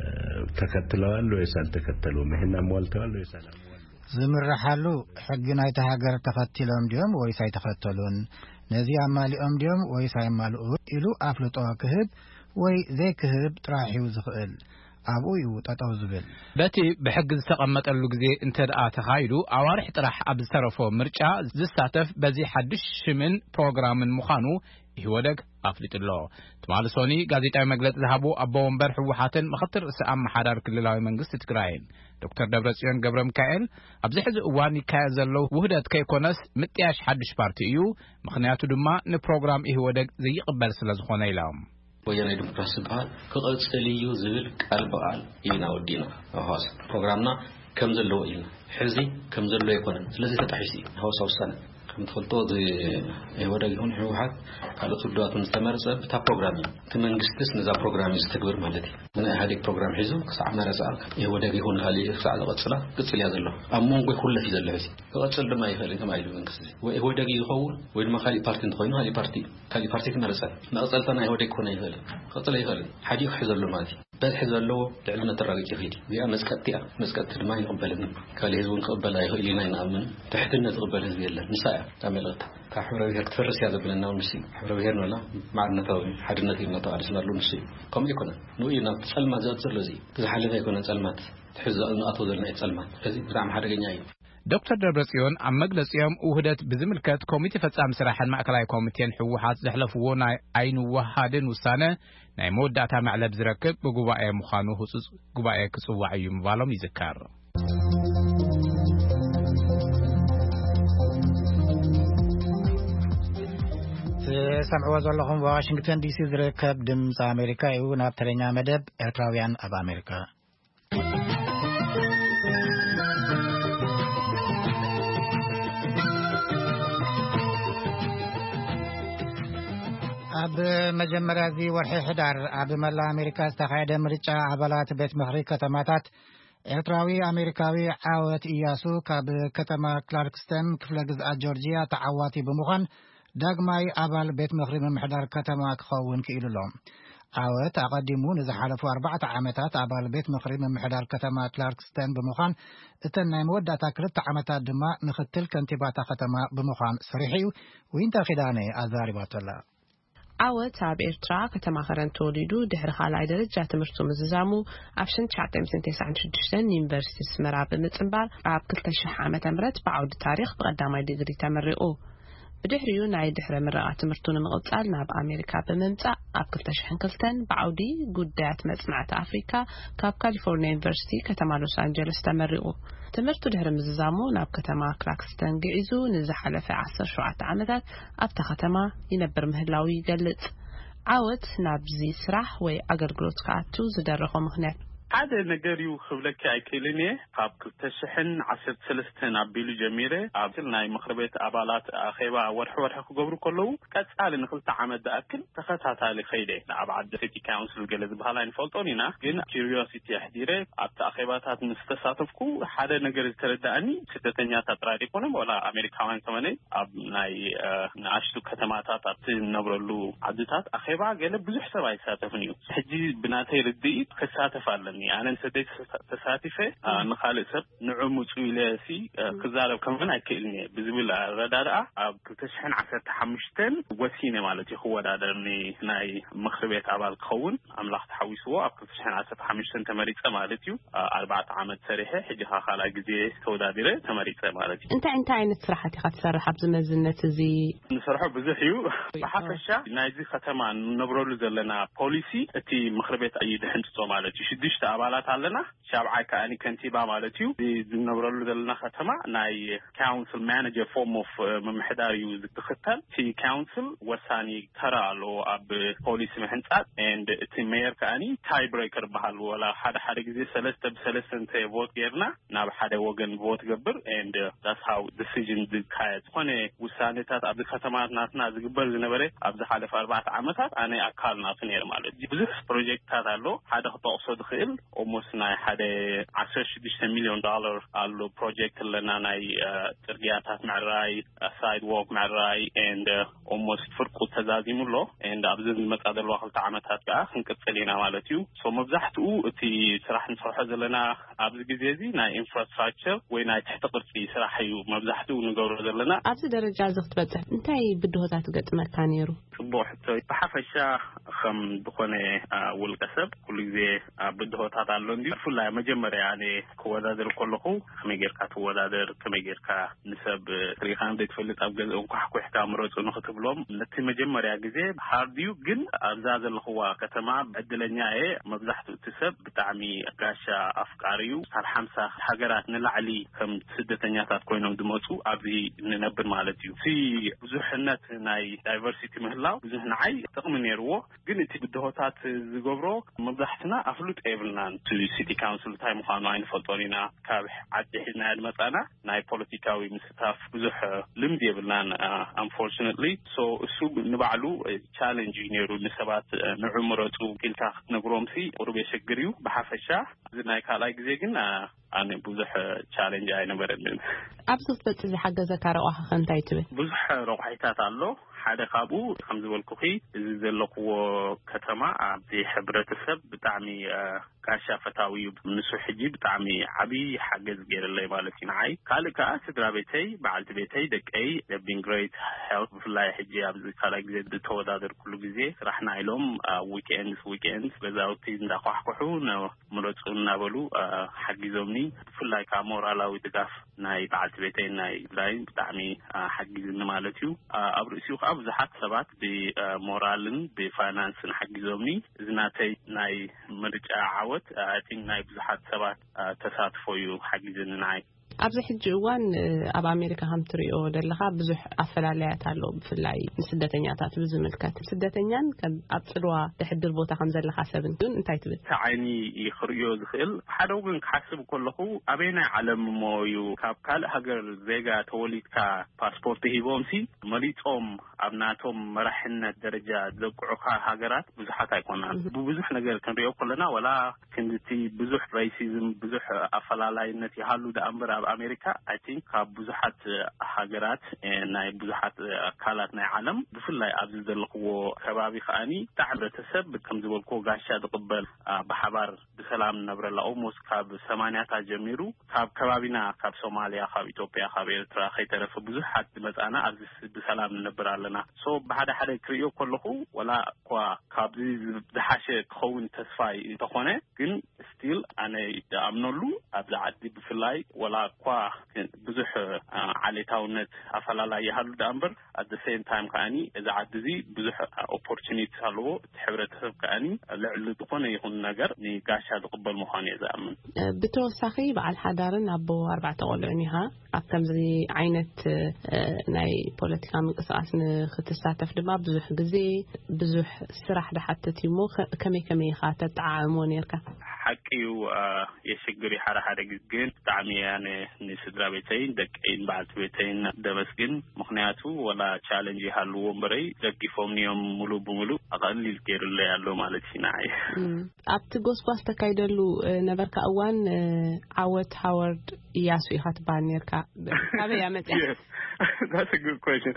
ተከትለዋል ወይስ አልተከተሉም? ይህን አሟልተዋል ወይስ አላሟሉም? ዝምርሓሉ ሕጊ ናይቲ ሃገር ተኸቲሎም ድዮም ወይስ ኣይተኸተሉን? ነዚ ኣማሊኦም ድዮም ወይስ ኣየማልኡ ኢሉ ኣፍልጦ ክህብ ወይ ዘይክህብ ጥራሕ እዩ ዝኽእል። ኣብኡ እዩ ጠጠው ዝብል። በቲ ብሕጊ ዝተቐመጠሉ ግዜ እንተ ደኣ ተኻይዱ፣ ኣዋርሕ ጥራሕ ኣብ ዝተረፎ ምርጫ ዝሳተፍ በዚ ሓድሽ ሽምን ፕሮግራምን ምዃኑ ኢህወደግ ኣፍሊጡ ኣሎ። ትማሊ ሶኒ ጋዜጣዊ መግለጺ ዝሃቡ ኣቦ ወንበር ህወሓትን ምኽትል ርእሰ ኣመሓዳሪ ክልላዊ መንግስቲ ትግራይን ዶክተር ደብረጽዮን ገብረ ሚካኤል፣ ኣብዚ ሕዚ እዋን ይካየድ ዘሎ ውህደት ከይኮነስ ምጥያሽ ሓድሽ ፓርቲ እዩ፣ ምኽንያቱ ድማ ንፕሮግራም ኢህወደግ ዘይቕበል ስለ ዝኾነ ኢሎም። ወያናይ ዲሞክራሲ ዝበሃል ክቕጽል እዩ ዝብል ቃል ብቓል ኢና ወዲእና። ኣብ ሃዋሳ ፕሮግራምና ከም ዘለዎ ኢልና፣ ሕዚ ከም ዘሎ ኣይኮነን። ስለዚ ተጣሒሱ እዩ ሃዋሳ ውሳነ። ከም ትፈልጦ፣ እዚ ኢህወደግ ይኹን ህወሓት ካልኦት ውድባትን ዝተመረጸ ብታ ፕሮግራም እዩ። እቲ መንግስትስ ነዛ ፕሮግራም እዩ ዝተግብር ማለት እዩ። ንኢህወደግ ፕሮግራም ሒዙ ክሳዕ መረጻ ኢህወደግ ይኹን ካልእ ክሳዕ ዝቐጽላ ቅጽል እያ ዘሎ። ኣብ መንጎ ይኹለፍ እዩ ዘሎ ሕዚ። ክቐጽል ድማ ይኽእል ከም ኢሉ መንግስቲ። ወይ ኢህወደግ እዩ ዝኸውን ወይ ድማ ካሊእ ፓርቲ እንተኾይኑ ካሊእ ፓርቲ እዩ። ካሊእ ፓርቲ ክመረጸ። መቐጸልታ ናይ ኢህወደግ ክኾን ኣይኽእልን። ክቐጽል ኣይኽእልን። ሓዲኡ ክሕዘሉ ማለት እዩ። በዝሒ ዘለዎ ልዕልነት ተራጊጹ ይኸይድ እዩ። እዚኣ መጽቀጥቲ እያ። መጽቀጥቲ ድማ ይቕበልን። ካልእ ህዝቢ እውን ክቕበል ኣይኽእል ኢና ይንኣምን። ትሕትነት ዝቕበል ህዝቢ የለን። ንሳ እያ እታ መልእኽታ። እታ ሕብረ ብሔር ክትፈርስ እያ ዘብለና እውን ንሱ እዩ። ሕብረ ብሔር ንበላ ማዕርነታዊ ሓድነት እዩ እናተቓለስና ኣሎ ንሱ እዩ። ከምኡ ኣይኮነን። ንኡ እዩ ናብቲ ጸልማት ዘእቱ ዘሎ እዚ እዩ። ዝሓለፈ ኣይኮነን ጸልማት። ትሕዚ ንኣትዎ ዘለና እዩ ጸልማት። እዚ ብጣዕሚ ሓደገኛ እዩ። ዶክተር ደብረጽዮን ኣብ መግለጺኦም ውህደት ብዝምልከት ኮሚቴ ፈጻሚ ስራሕን ማእከላይ ኮሚቴን ህወሓት ዘሕለፍዎ ናይ ኣይንወሃድን ውሳነ ናይ መወዳእታ መዕለብ ዝረክብ ብጉባኤ ምዃኑ ህጹጽ ጉባኤ ክጽዋዕ እዩ ምባሎም ይዝከር። ትሰምዕዎ ዘለኹም ዋሽንግተን ዲሲ ዝርከብ ድምፂ ኣሜሪካ እዩ። ናብ ተረኛ መደብ ኤርትራውያን ኣብ ኣሜሪካ። ኣብ መጀመርያ እዚ ወርሒ ሕዳር ኣብ መላእ ኣሜሪካ ዝተኻየደ ምርጫ ኣባላት ቤት ምኽሪ ከተማታት፣ ኤርትራዊ ኣሜሪካዊ ዓወት ኢያሱ ካብ ከተማ ክላርክስተን ክፍለ ግዝኣት ጆርጂያ ተዓዋቲ ብምዃን ዳግማይ ኣባል ቤት ምኽሪ ምምሕዳር ከተማ ክኸውን ክኢሉ ኣሎ። ዓወት ኣቐዲሙ ንዝሓለፉ ኣርባዕተ ዓመታት ኣባል ቤት ምኽሪ ምምሕዳር ከተማ ክላርክስተን ብምዃን፣ እተን ናይ መወዳእታ ክልተ ዓመታት ድማ ምኽትል ከንቲባታ ከተማ ብምዃን ሰሪሑ እዩ። ዊንታ ኪዳነ ኣዛሪባቶ ኣላ። ዓወት ኣብ ኤርትራ ከተማ ከረን ተወሊዱ ድሕሪ ካልኣይ ደረጃ ትምህርቱ ምዝዛሙ ኣብ ሽሕን ትሽዓተ ሚእትን ተስዓን ሽዱሽተን ዩኒቨርሲቲ ኣስመራ ብምጽንባር ኣብ ክልተ ሽሕ ዓመተ ምህረት ብዓውዲ ታሪኽ ብቐዳማይ ዲግሪ ተመሪቑ። ብድሕሪኡ ናይ ድሕረ ምረቓ ትምህርቱ ንምቕጻል ናብ ኣሜሪካ ብምምጻእ ኣብ ክልተ ሽሕን ክልተን ብዓውዲ ጉዳያት መጽናዕቲ ኣፍሪካ ካብ ካሊፎርኒያ ዩኒቨርሲቲ ከተማ ሎስ ኣንጀለስ ተመሪቑ። ትምህርቱ ድሕሪ ምዝዛሙ ናብ ከተማ ክላክስተን ግዒዙ ንዝሓለፈ ዓሰርተ ሸውዓተ ዓመታት ኣብታ ከተማ ይነብር ምህላው ይገልጽ። ዓወት ናብዚ ስራሕ ወይ ኣገልግሎት ክኣቱ ዝደረኾ ምኽንያት ሓደ ነገር እዩ ክብለኪ ኣይክእልን እየ። ካብ ክልተ ሽሕን ዓሰርተ ሰለስተን ኣቢሉ ጀሚረ ኣብ ናይ ምኽሪ ቤት ኣባላት ኣኼባ ወርሒ ወርሒ ክገብሩ ከለዉ ቀጻሊ ንክልተ ዓመት ዝኣክል ተኸታታሊ ኸይደ ኣብ ዓዲ ሲቲ ካውንስል ገለ ዝበሃል ኣይንፈልጦን ኢና፣ ግን ኪሪዮሲቲ ኣሕዲረ ኣብቲ ኣኼባታት ምስ ተሳተፍኩ ሓደ ነገር ዝተረዳእኒ ስደተኛታት ጥራይ ዘይኮነ ዋላ ኣሜሪካውያን ከመነ ኣብ ናይ ንኣሽቱ ከተማታት ኣብቲ ንነብረሉ ዓድታት ኣኼባ ገለ ብዙሕ ሰብ ኣይሳተፍን እዩ። ሕጂ ብናተይ ርድኢት ክሳተፍ ኣለኒ። ኣነ ንሰደይ ተሳቲፈ ንኻልእ ሰብ ንዑ ምፁ ኢለ ሲ ክዛረብ ከመን ኣይክእልን እየ ብዝብል ኣረዳድኣ ኣብ ክልተ ሽሕን ዓሰርተ ሓሙሽተን ወሲነ ማለት እዩ ክወዳደር ናይ ምኽሪ ቤት ኣባል ክኸውን ኣምላኽ ተሓዊስዎ ኣብ ክልተ ሽሕን ዓሰርተ ሓሙሽተን ተመሪፀ ማለት እዩ። ኣርባዕተ ዓመት ሰሪሐ ሕጂ ኸዓ ካልኣይ ግዜ ተወዳዲረ ተመሪፀ ማለት እዩ። እንታይ እንታይ ዓይነት ስራሓት ኢኻ ትሰርሕ ኣብዚ መዝነት እዚ? ንሰርሖ ብዙሕ እዩ። ብሓፈሻ ናይዚ ከተማ ንነብረሉ ዘለና ፖሊሲ እቲ ምኽሪ ቤት እዩ ድሕንፅፆ ማለት እዩ። ሽዱሽተ ኣባላት ኣለና። ሻብዓይ ከኣኒ ከንቲባ ማለት እዩ። እዚ ዝነብረሉ ዘለና ከተማ ናይ ካውንስል ማናጀር ፎርም ኦፍ ምምሕዳር እዩ ዝትኽተል። እቲ ካውንስል ወሳኒ ተራ ኣለዎ ኣብ ፖሊሲ ምሕንፃፅ and እቲ ሜየር ከኣኒ ታይ ብሬከር በሃል ወላ ሓደ ሓደ ግዜ ሰለስተ ብሰለስተ እንተ ቮት ጌርና ናብ ሓደ ወገን ቮት ገብር and that's how decision ዝካየድ። ዝኾነ ውሳኔታት ኣብዚ ከተማ ናትና ዝግበር ዝነበረ ኣብ ዝሓለፈ ኣርባዕተ ዓመታት ኣነ ኣካል ናቱ ነይር ማለት እዩ። ብዙሕ ፕሮጀክትታት ኣሎ። ሓደ ክጠቕሶ ዝኽእል ኦሞስ ናይ ሓደ ዓሰርተ ሽዱሽተ ሚሊዮን ዶላር ኣሎ ፕሮጀክት ኣለና ናይ ጽርግያታት ምዕራይ፣ ሳይድዎክ ምዕራይ and ኦሞስት ፍርቁ ተዛዚሙ ኣሎ and ኣብዚ ዝመጻ ዘለዋ ክልተ ዓመታት ከዓ ክንቅጽል ኢና ማለት እዩ። ሶ መብዛሕትኡ እቲ ስራሕ ንሰርሖ ዘለና ኣብዚ ግዜ እዚ ናይ ኢንፍራስትራክቸር ወይ ናይ ትሕቲ ቅርፂ ስራሕ እዩ መብዛሕትኡ ንገብሮ ዘለና። ኣብዚ ደረጃ እዚ ክትበፅሕ እንታይ ብድሆታት ገጥመካ ነይሩ? ፅቡቅ ሕቶ። ብሓፈሻ ከም ዝኾነ ውልቀ ሰብ ኩሉ ግዜ ብድሆታት ኣሎ እንዲ ብፍላይ መጀመርያ ኣነ ክወዳደር ከለኹ ከመይ ጌርካ ትወዳደር ከመይ ጌርካ ንሰብ ሪኢኻ ዘይትፈልጥ ኣብ ገዝኦም ኳሕኩሕካ ምረፁ ንክትብሎም ነቲ መጀመርያ ግዜ ሃርድ እዩ። ግን ኣብዛ ዘለኽዋ ከተማ ዕድለኛ እየ። መብዛሕትኡ እቲ ሰብ ብጣዕሚ ጋሻ ኣፍቃሪ እዩ። ካብ ሓምሳ ሃገራት ንላዕሊ ከም ስደተኛታት ኮይኖም ዝመፁ ኣብዚ ንነብር ማለት እዩ። እቲ ብዙሕነት ናይ ዳይቨርሲቲ ምህላው ብዙሕ ንዓይ ጥቕሚ ነይርዎ። ግን እቲ ብድሆታት ዝገብሮ መብዛሕትና ኣፍሉጥ የብልናን። እቲ ሲቲ ካውንስል እንታይ ምዃኑ ኣይንፈልጦን ኢና። ካብ ዓዲ ሒዝናዮ ዝመፃና ናይ ፖለቲካዊ ምስታፍ ብዙሕ ልምዲ የብልናን ኣንፎርችነትሊ። ሶ እሱ ንባዕሉ ቻለንጅ እዩ ነይሩ። ንሰባት ንዑ ምረፁ ኢልካ ክትነግሮምሲ ቁሩብ የሸግር እዩ። ብሓፈሻ እዚ ናይ ካልኣይ ግዜ ግን ኣነ ብዙሕ ቻለንጅ ኣይነበረንን። ኣብዚ ክትበፅሕ ዝሓገዘካ ረቋሒ ከ እንታይ ትብል? ብዙሕ ረቋሒታት ኣሎ። ሓደ ካብኡ ከም ዝበልኩኺ እዚ ዘለኽዎ ከተማ ኣብዚ ሕብረተሰብ ብጣዕሚ ጋሻ ፈታዊ እዩ። ንሱ ሕጂ ብጣዕሚ ዓብዪ ሓገዝ ገይርለይ ማለት እዩ ንዓይ። ካልእ ከኣ ስድራ ቤተይ፣ በዓልቲ ቤተይ፣ ደቀይ have been great help። ብፍላይ ሕጂ ኣብዚ ካልኣይ ግዜ ዝተወዳደርኩሉ ግዜ ስራሕና ኢሎም ኣብ ዊክኤንድስ ዊክኤንድስ ገዛውቲ እንዳኳሕኩሑ ምረፁ እናበሉ ሓጊዞምኒ። ብፍላይ ከዓ ሞራላዊ ድጋፍ ናይ በዓልቲ ቤተይን ናይ ብላይን ብጣዕሚ ሓጊዝኒ ማለት እዩ። ኣብ ርእሲኡ ከዓ ብዙሓት ሰባት ብሞራልን ብፋይናንስን ሓጊዞምኒ። እዚ ናተይ ናይ ምርጫ ዓወት ኣይ ቲንክ ናይ ብዙሓት ሰባት ተሳትፎ እዩ ሓጊዝኒ ንዓይ። ኣብዚ ሕጂ እዋን ኣብ ኣሜሪካ ከም ትሪኦ ዘለኻ ብዙሕ ኣፈላለያት ኣሎ፣ ብፍላይ ንስደተኛታት ብዝምልከት። ስደተኛን ከም ኣብ ጽልዋ ተሕድር ቦታ ከም ዘለኻ ሰብን ግን እንታይ ትብል? እቲ ዓይኒ እዩ ክርእዮ ዝኽእል። ሓደ ወገን ክሓስብ ከለኹ ኣበየናይ ዓለም እሞ እዩ ካብ ካልእ ሃገር ዜጋ ተወሊድካ ፓስፖርት ሂቦምሲ መሊጾም ኣብ ናቶም መራሕነት ደረጃ ዘብቅዑኻ ሃገራት ብዙሓት ኣይኮናን። ብብዙሕ ነገር ክንሪኦ ከለና፣ ወላ ክንድቲ ብዙሕ ሬሲዝም፣ ብዙሕ ኣፈላላይነት ይሃሉ ደኣ እምበር፣ ኣብ ኣሜሪካ፣ I think፣ ካብ ብዙሓት ሃገራት፣ እ፣ ናይ ብዙሓት ኣካላት ናይ ዓለም፣ ብፍላይ ኣብዚ ዘለኽዎ ከባቢ ከኣኒ፣ ብጣዕሚ ሕብረተሰብ፣ ከም ዝበልክዎ፣ ጋሻ ዝቕበል፣ ኣ፣ ብሓባር ብሰላም ንነብረላ፣ ኦልሞስት ካብ ሰማንያታት ጀሚሩ፣ ካብ ከባቢና፣ ካብ ሶማልያ፣ ካብ ኢትዮጵያ፣ ካብ ኤርትራ ከይተረፈ ብዙሓት ዝመጻና ኣብዚ ስ-፣ ብሰላም ንነብር ኣለና። ሶ ብሓደ ሓደ ክርእዮ ከለኹ፣ ወላ እኳ ካብዚ ዝ-፣ ዝሓሸ ክኸውን ተስፋ እንተኾነ፣ ግን ስቲል ኣነ ይኣምነሉ፣ ኣብዚ ዓዲ ብፍላይ፣ ወላ እኳ ብዙሕ፣ ኣ፣ ዓሌታውነት ኣፈላላይ ይሃሉ ደኣ እምበር፣ at the same time ከኣኒ፣ እዚ ዓዲ እዚ ብዙሕ ኦፖርቹኒቲ ኣለዎ። እቲ ሕብረተሰብ ከኣኒ ልዕሊ ዝኾነ ይኹን ነገር ንጋሻ ዝቕበል ምዃኑ እየ ዝኣምን። እ፣ ብተወሳኺ፣ በዓል ሓዳርን ኣቦ ኣርባዕተ ቆልዑን ኢኻ። ኣብ ከምዚ ዓይነት፣ እ፣ ናይ ፖለቲካ ምንቅስቃስ ንክትሳተፍ ድማ ብዙሕ ግዜ፣ ብዙሕ ስራሕ ዝሓትት እዩ እሞ፣ ከ-፣ ከመይ ከመይ ኢኻ ተጠዓዕሞ ነይርካ? ሓቂ እዩ፣ እ፣ የሽግር እዩ ሓደ ሓደ ግዜ፣ ግን ብጣዕሚ እየ ኣነ ንስድራ ቤተይን ደቀይን በዓልቲ ቤተይን ደመስግን። ምኽንያቱ፣ ወላ ቻለንጅ ይሃልዎ እምበረይ፣ ደጊፎምኒ እዮም፣ ሙሉእ ብሙሉእ ኣቐሊል ገይሩለይ ኣሎ ማለት እዩ ንዓይ። እም፣ ኣብቲ ጎስጓስ ተካይደሉ፣ እ፣ ነበርካ እዋን፣ እ፣ ዓወት ሃዋርድ እያሱ ኢኻ ትበሃል ነርካ። ካበይ እያ መጽያ? Yes. That's a good question.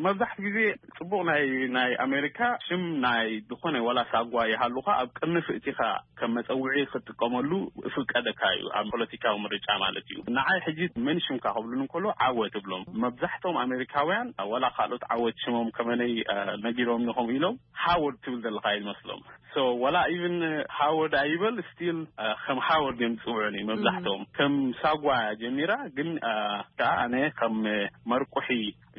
መብዛሕትኡ ግዜ ጽቡቕ ናይ፣ ናይ ኣሜሪካ ሽም ናይ ዝኾነ ዋላ ሳጓ ይሃሉኻ ኣብ ቅድሚ ፍእቲኻ ከም መጸውዒ ክትጥቀመሉ ፍቀደካ እዩ፣ ኣብ ፖለቲካዊ ምርጫ ማለት እዩ። ንዓይ ሕጂ መን ሽምካ ክብሉኒ እንከሎ ዓወት እብሎም። መብዛሕትኦም ኣሜሪካውያን ዋላ ካልኦት ዓወት ሽሞም ከመነይ፣ እ፣ ነጊሮም ኢኹም ኢሎም ሃወርድ ትብል ዘለኻ እዩ ዝመስሎም። ሶ ዋላ ኢቭን ሃወርድ ኣይበል ስቲል፣ እ፣ ከም ሃወርድ እዮም ዝጽውዑኒ መብዛሕትኦም። ከም ሳጓ ጀሚራ ግን፣ እ፣ ከኣ ኣነ ከም መርቁሒ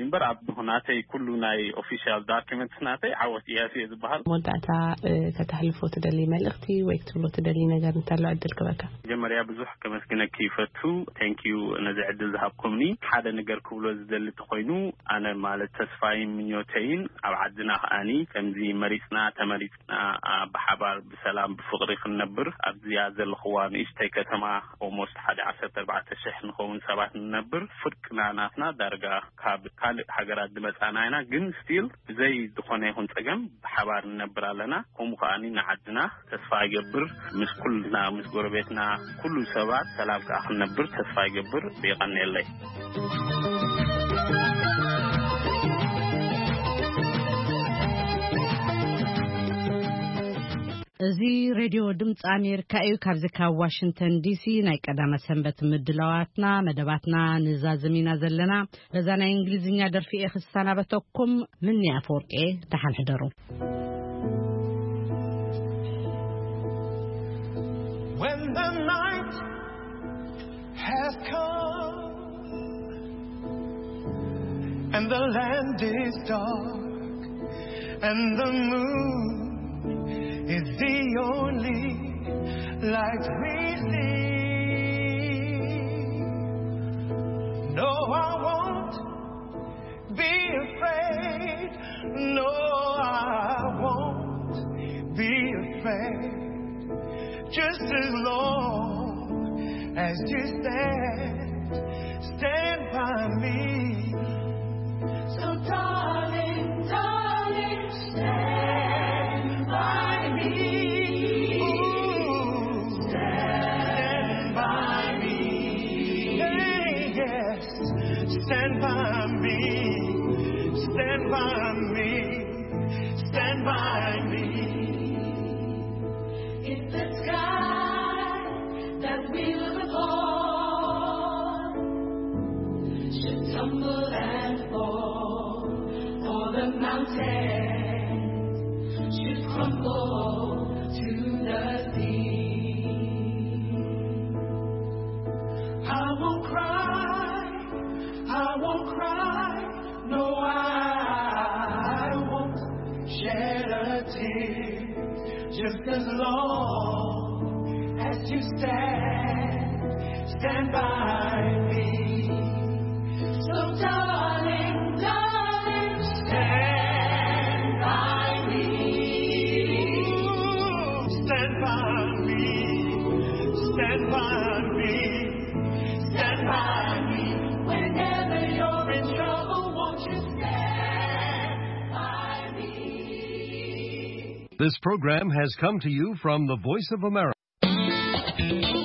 እምበር ኣብ ናተይ ኩሉ ናይ ኦፊሻል ዶክመንትስ ናተይ ዓወት እያሱ እየ ዝበሃል። መወዳእታ፣ እ፣ ከተሕልፎ ትደሊ መልእኽቲ ወይ ክትብሎ ትደሊ ነገር እንተሎ ዕድል ክበካ። መጀመርያ ብዙሕ ከመስግነኪ ይፈቱ። ቴንክ ዩ ነዚ ዕድል ዝሃብኩምኒ። ሓደ ነገር ክብሎ ዝደሊ እንተኾይኑ፣ ኣነ ማለት ተስፋይን ምኞተይን ኣብ ዓድና ከኣኒ ከምዚ መሪጽና ተመሪጽና፣ ኣ፣ ብሓባር ብሰላም ብፍቕሪ ክንነብር ኣብዚኣ ዘለኽዋ ንእሽተይ ከተማ ኦልሞስት ሓደ ዓሰርተ ኣርባዕተ ሽሕ ንኸውን ሰባት ንነብር። ፍርቅና ናትና ዳርጋ ካብ ካልእ ሃገራት ዝመጻና ኢና፣ ግን ስቲል ብዘይ ዝኾነ ይኹን ጸገም ብሓባር ንነብር ኣለና። ከምኡ ከኣኒ ንዓድና ተስፋ ይገብር፣ ምስ ኩልና፣ ምስ ጎረቤትና፣ ኩሉ ሰባት ሰላም ከኣ ክንነብር ተስፋ ይገብር። የቐንየለይ። እዚ ሬድዮ ድምፂ ኣሜሪካ እዩ። ካብዚ ካብ ዋሽንግተን ዲሲ ናይ ቀዳመ ሰንበት ምድላዋትና፣ መደባትና ንዛዝም ኢና ዘለና። በዛ ናይ እንግሊዝኛ ደርፊ እየ ክሰናበተኩም። ምኒ ኣፈወርቂ፣ ደሓን ሕደሩ። When the night has come and the land is dark and the moon is the only light we see. No, I won't be afraid. No, I won't be afraid. Just as long as you stand, stand by me. So, darling, darling, stand by me. Ooh, stand by me. Say yes. Stand by me, stand by me, stand by me. If the sky that we look upon should tumble and fall, or the mountains should crumble to the sea, I won't cry, I won't cry, no, I won't shed a tear. Just as long as you stand, Stand by me. So darling, darling, stand by me. Stand by me. Stand by me. Stand by me. Whenever you're in trouble, won't you stand by me? This program has come to you from the Voice of America.